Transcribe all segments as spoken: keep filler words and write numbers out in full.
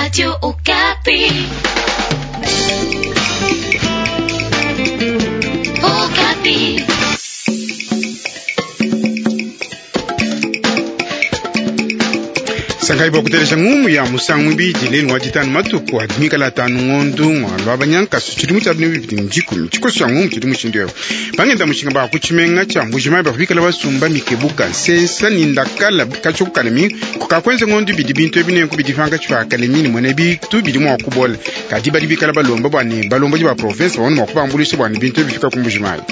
Radio Okapi. Okapi. Sangai bwa ngumu ya musangu ibidi lelu wa ditanu matuku adi mikala atanu ngondu ng'walwa banyankasu tshidimu tshia binu bibidi ndikumi tshikoso tshia ngumu tshidi mushindu ewu bangenda mushinga ba kutshimenga tshia Mbujimayi bavua bikala basumba mikebuka nsensa ni ndakala katshia kukalemi kukakwenza ngondu ibidi bintu ebi nenku bidi pankatshi pa kalemi ni mwene bitu bidi mua kubola kadi badi bikala balomba bua ne balombodi ba province babone mua kubambuluisha bua ne bintu ebi bifika ku Mbujimayi.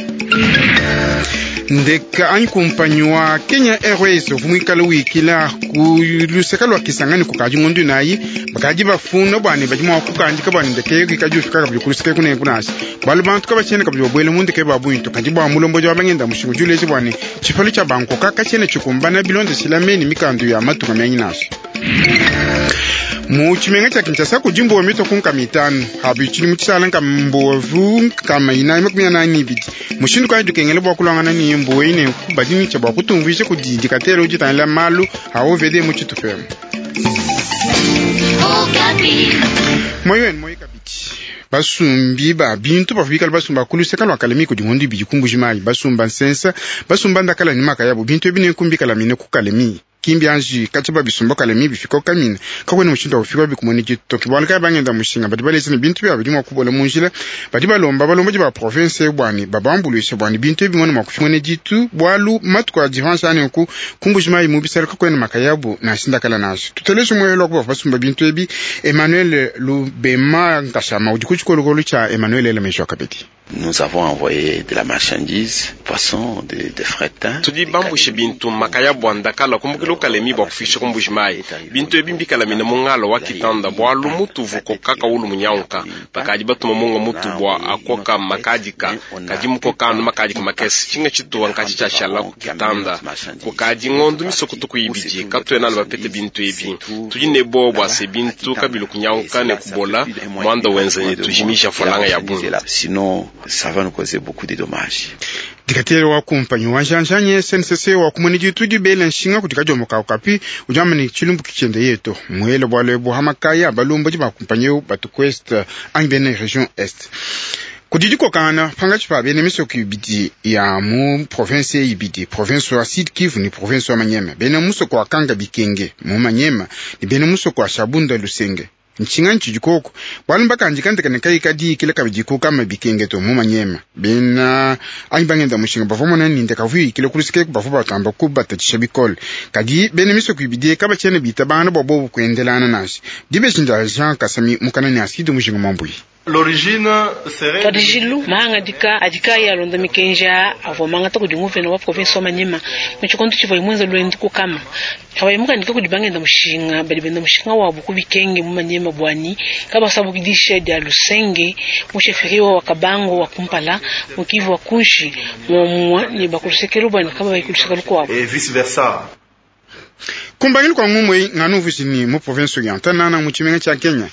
Ndeka anyi kumpanyi wa Kenya Airways uvua muikale wikila ku luseka lua Kisangani kukadi ngondu inayi bakadi bafuna bua ne badi mua kukandika bua ne ndeke eyo kikadi ufika kabidi ku luseka eku nenku nansha bualu bantu kabatshiena kabidi babuela mu ndeke ba bungi to kadi bua mulombodi wa bangenda mushinga udi uleja bua ne tshipalu tshia bankoka katshiena tshikumbana bilondeshila meni mikandu ya matunga mianyi nansha. Mu tshimenga tshia Kinshasa kudi mbuwa mitue ku nkama itanu abi tshidimu tshishala nkama mbuwavu nkama inayi makumi anayi ne ibidi mushindu kayi dikengela bua kulwangana ne mbuwa eyi nenku badi ne tshia bua kutumvuija kudi dikatele udi utangila malu a O V D mu tshitupa emu. Okapi. Moyo wenu moyo kabidi basumbi ba bintu bavua bikala basumba ku luseka lua Kalemi kudi ngondu ibidi ku Mbujimayi basumba nsensa basumba ndakala ne makayabu bintu ebi nenku mbikala mine ku Kalemi kimbi anji katshia babisumba Kalemi bifika kamina kakwena mushindu wa kufika bikumone ditoki bualu kayi bangenda mushinga badi baleja ne bintu biabo bidi mua kubola mu njila badi balomba balombodi ba province bua ne babambuluishe bua ne bintu ebi bimone mua kufika mwene ditu bualu matuku a divanse anenku ku Mbujimayi mu bisala kakwena makayabu nansha ndakala nansha tuteleje muelo wa ku bavua basumba bintu ebi Emmanuel Lubema Nkashama udi ku tshikolokolo tshia Emmanuel Elemesho kabidi. Nous avons envoyé de la marchandise, poisson, de, de fretin. Tudi bambushe bintu makayabu a ndakala kumbukila ukalemi bua kufisha ku Mbujimayi bintu ebi mbikalamina mu ngala wa kitanda bualu mutuvu kokaka ulu munyanguka bakadi batuma munga mutu bua akoka makadika kadi mukoka anu makadika makese tshinga tshituwa nkatshi tshiashala ku kitanda kukadi ngondu misoko tuku ibidi katuena anu bapete bintu ebi tudi ne bowa bua se bintu kabilu kunyanguka ne kubola muanda wenza ne tujimisha falanga ya bungi. Sinon, ça va nous causer beaucoup de dommages. Dikatele wa kumpanyi wa njanjanye S N C C wa kumone ditu dibela nshinga kudi kadiombo ka Okapi udi wamba ne tshilumbu kitshiende yetu muele bualu ebu hamakaya balombodi ba kumpanyi eu batu ku Est anyi bena region Est kudi dikokangana pankatshi pa bena misoko ibidi ya mu province ibidi province wa Sud Kivu ni province wa Manyema bena musoko wa Kanga Bikenge mu Manyema ni bena musoko wa Shabunda Lusenge nshinga ntshidi koko bualu mbakandika ndeka ne kayi kadiikila kabidi kukama bikenge to mu Manyema bena anyi bangenda mushinga bavua mona ni ndeka vuyikile ku luseke bavua batamba kubatatshisha bikole kadi bena misoko ibidi kabatshiena bitabangana bua bobu kuendelana nansha dibeji ndia Jean Kasami mukana ne Asidi Mujinga Mwambuyi. L'origine serait Twadijilu mahangadika adika yalonda mikenja avua mangata kudi nguvena wa province wa Manyema mu tshikondo tshivua imwenza lwendi kukama abayimukandika kudi bangenda mushinga badi benda mushinga wabo ku bikenge mu Manyema bwani kabasabukidisha dia Lusenge mu chefferie wa Kabango wa Kumpala mu Kivu wa Kunshi muomumue ne bakulusekelo bwani kaba bayikuluseka lukwabo et vice versa. Kumbangilu kwa ngumwe nganu vusini mu province ya Ntanana mu tshimenga tshia Kenya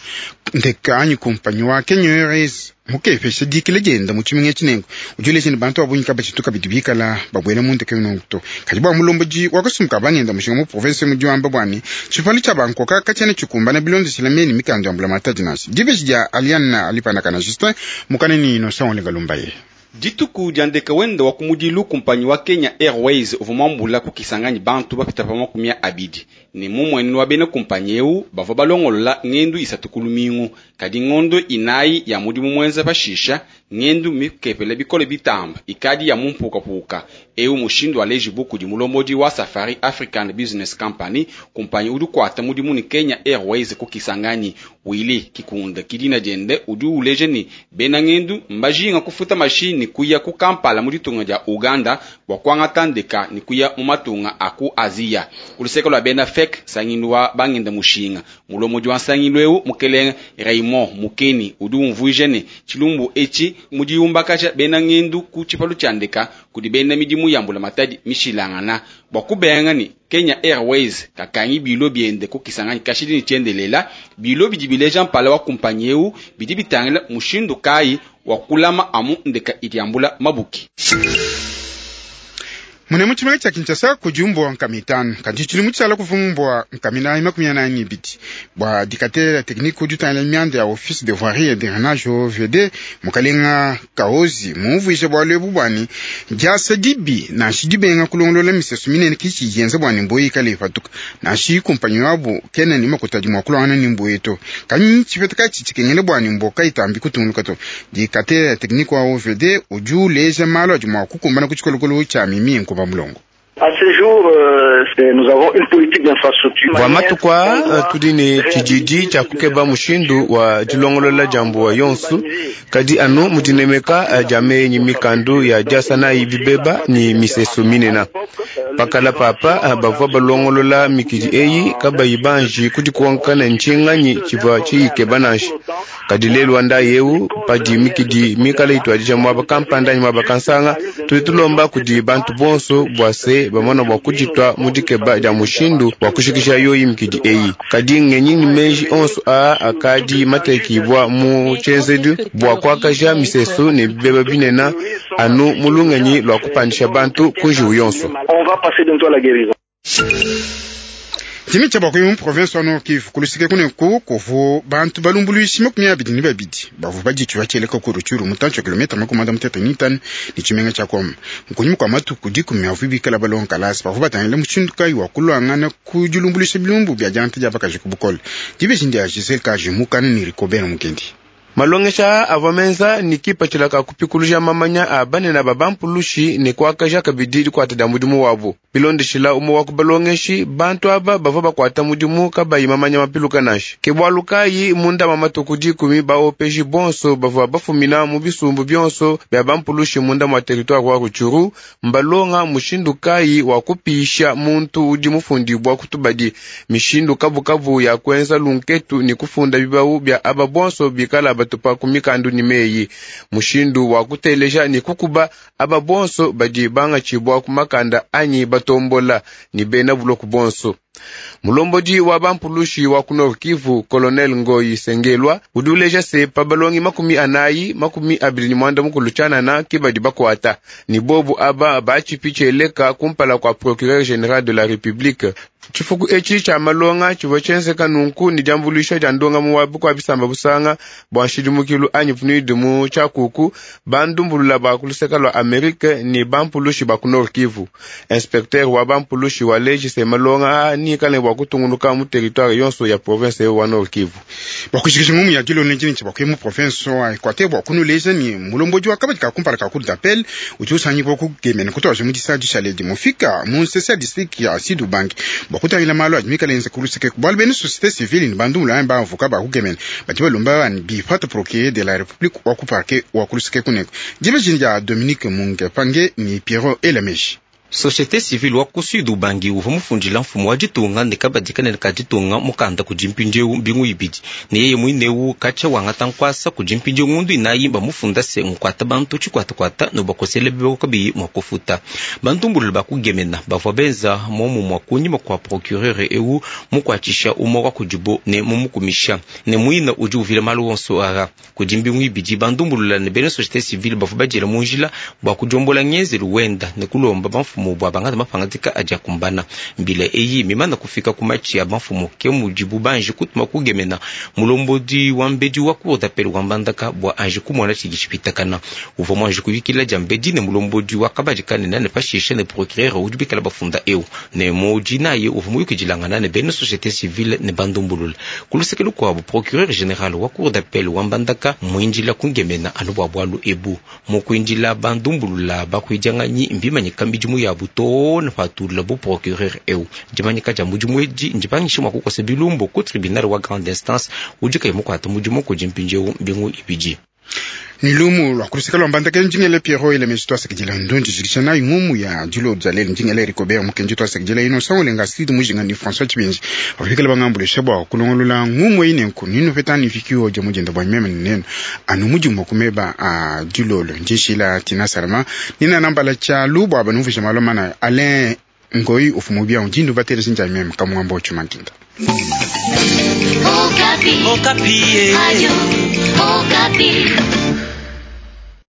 ndeka anyi kumpanyi wa Kenya Airways mukepesha dikile dienda mu tshimenga tshinengo udi uleja ne bantu ba bungi kabatshitu kabidi bikala babuela mu ndeke nongo to kadi bua mulombodi wa kasumbu bangenda mushinga mu province mudi wamba bua ne tshipalu tshia bankoka katshiena tshikumbana bilondeshila meni mikanda ya mbulamatadi nansha dibeji dia Aliane Alipandakana Justin mukana ni Innocent Olenga Lumbaye. Dituku dia ndeke wenda wa kumudilu kumpanyi wa Kenya Airways uvua muambula ku Kisangani bantu bapita pa makumi abidi ne mumuenu wa bena kumpanyi eu bavua balongolola ngendu isatu ku lumingu kadi ngondo inayi ya mudimu muenza pashisha ngendu mikepele bikole bitamba ikadi ya mumpukapuka eu mushindu alejibu kudi mulombodi wa Safari African Business Company kumpanyi udi kuata mudimu ni Kenya Airways ku Kisangani Willy Kikunda kidina diende udi uleja ni bena ngendu mbajinga kufuta mashini kuya ku Kampala mu ditunga dia Uganda bua kuangata ndeka ni kuya mu matunga a ku Aziya kuluseka lua bena F E C sangilu wa bangenda mushinga mulombodi wa nsangilu eu mukelenge Raymond Mukeni udi umvuija ne tshilumbu etshi mudiyumbakaja bena ngendu ku tshipalu tshia ndeka kudi bena midimu ya mbulamatadi mishilangana bua kubenga ni Kenya Airways kakangi bilo biende ku Kisangani kashidi ni tshiendelela bilo bidi bileja mpala wa kumpanyi eu bidi bitangila mushindu kayi wa kulama amu ndeka idi yambula mabuki. Mune mu tshimenga tshia Kinshasa kudi mbua nkama itanu kadi tshili mu tshiala kuvu mbua nkama inayi makumi anayi ne ibidi bua dikatela teknike udi utangila mianda ya office de voirie et drainage O V D mukalenga Kaozi mumvuije bualu ebu bwani diasa dibi nansha dibenga kulongolola misesu minene kichi yenza bwani mbuyi ikale ipatuka nansha kumpanyi wabu kena ni makuta di mua kulongana ni mbuyi to kanyi tshipeta katshi tshikengele bwani mboka itambi kutunguluka to dikatela teknike wa O V D udi uleja malu adi mua kukumbana ku tshikolokolo tshia mimi nkuba mulongo. À ce jour, euh, nous avons une politique d'infrastructure. Bua matukwa tudi ne tshididi tshia kukeba mushindu wa dilongolola dia mbuwa yonso kadi anu mudinemeka dia menyi mikandu ya diasana bibeba ni misesu minena pakala papa bavua balongolola mikidi eyi kabayi banji kudikonkana ntshinganyi tshivua tshiyikeba nansha kadi lelu wanda yewu padi mikidi mikala ituadija mwaba kampanda anyi mwaba kansanga tudi tulomba kudi bantu bonso bua se bamona bua kuditwa mudikeba dia mushindu wa kushikisha yoyi mikidi eyi kadi ngenyi ni meji onso aa akadi matekibwa mu tshienzedu bua kuakaja misesu ne bibeba binena anu mulungenyi lwa kupandisha bantu ku njiwu yonso. On va passer bientôt à la guérison. Tshimi tshia bakuyi mu province wa Nord Kivu kulusike kuneku kuvu bantu balumbuluishi makumi abidi ne babidi bavua baditshiwa tshieleka ku Rutshuru mutantshi wa kilomita makumi anda mutete ne itanu ne tshimenga tshia Goma mukunyima kua matuku dikumi avua bikala balonga kalasa bavua batangila mushindu kayi wa kulwangana ku dilumbuluisha bilumbu bia diangata dia bakaji ku bukole dibeji ndia Giselle Kaji mukana ne Rikobert Mukendi. Malongesha avua menza ni kipatshila ka kupikuluja mamanya a banene ba bampulushi ne kuakaja kabidi dikuata dia mudimu wabu bilondeshila umue wa ku balongeshi bantu aba bavua bakuata mudimu kabayi mamanya mapiluka nansha ke bualu kayi munda ma matuku dikumi baopeji bonso bavua bafumina mu bisumbu bionso bia bampulushi munda mua territoire wa Rutshuru mbalonga mushindu kayi wa kupisha muntu udi mufundibwa kutubadi mishindu kabukabu ya kuenza lunketu ni kufunda bibawu bia aba bonso bikala batupa kumikandu ni meyi mushindu wa kuteleja ni kukuba aba bonso badi bangatshibwa kumakanda anyi batombola ni bena buloku bonso. Mulombodi wa bampulushi wa ku Nord Kivu Colonel Ngoyi Sengelwa udi uleja se pa balongi makumi anayi makumi abili ni mwanda mukulu tshianana ke badi bakuata ni bobu aba batshipi tshieleka kumpala kua procureur général de la République. Tshifuku etshi tshia malonga tshivua tshienzeka nunku ni diambuluisha dia ndongamu wa bukua bisamba busanga bua nshidimukilu anyi P N U D mu tshiakuku bandumbulula ba kuluseka lua Amerike ni bampulushi ba ku Nord Kivu. Inspecteur wa bampulushi wa leji se malonga ni kale bua kutunguluka mu territoire yonso ya province wa Nord Kivu. Bakushikisha ngumu ya dilone njini tshia bakuye mu province wa Equateur bua kunuleja ni mulombodi wa kabadi ka kumpala ka cour d'appel udi usangibwa kugemena kutuaje mu disadi tsha mufika mu nsese ya district ya Sud Ubangi kutangila malu adi mikale enza kuluseke bualu bena société civile ni bandu mulaya bavuka bakugemena badi balomba bani bipata procureur de la République wa ku parquet wa kuluseke kuneko dibeji dia Dominique Munge Pange ni Pierrot Elameji. Société civile wa ku Sud Ubangi uvua mufundila mfumu wa ditunga ne kabadi kanene ka ditunga mukanda kudi mpindieu mbingu ibidi ne yeye muinewu katshia wangata nkuasa kudi mpindieu ngundu inayi bamufunda se nkuata bantu tshikwatakwata no bakosele bibeko kabiyi mua kufuta bantumbulula bakugemena bavua benza momu mua kunyima kua procureur ewu mukuatshisha umue wa kudibo ne mumukumisha ne muina udi uvila malu wonso ara kudi mbingu ibidi bandumbulula ne bena société civile bavua badiela mu njila bua kudiombola ngenzelu wenda ne kulomba bamfumu bua bangata mapangadika adi akumbana mbila eyi mimana kufika ku matshi ya bamfumu ke mudibu banji kutuma kugemena mulombodi wa mbedi wa cour d'appel wa Mbandaka bua anji kumona tshidi tshipitakana uvua muanji kuyukila dia mbedi ne mulombodi wa kabadi kanene ne pashishe ne procureur udi bikala bafunda eu ne mudi naye uvua muyukidilangana ne bena société civile ne bandumbulula kuluseke lukuabu procureur général wa cour d'appel wa Mbandaka muindila kungemena anu bua bualu ebu mukuindila bandumbulula bakuidianganyi mbimanyika midimu ya buto na patula bu procureur eu dimanyika dia mudimu edi ndipangisha mua kukosa bilumbu ku tribunal wa grande instance udi kayi mukuata mudimu kudi mpindieu mbingu ibidi. Ni lumu lwa kuluseka lwa Mbandaka njingele Pierrot Elemeji twasekejela ndondi jikisha nayi ngumu ya dilo dzalele njingele Rikobert Mukenji twasekejela ino sangolenga Astrid Mujinga ni François Tshibinji bafikela bangambulesha bua kulongolola ngumu eyi nenku nino petani fikio ja mujenda bwa meme neno anu mudimu kumeba a dilolo njishila Tina Salama nina nambala cha lubwa banuvisha malomana Alain Ngoi ufumu bia undindu batele sinja meme kamwambo chumantinda. Okapi. Okapi. Radio Okapi.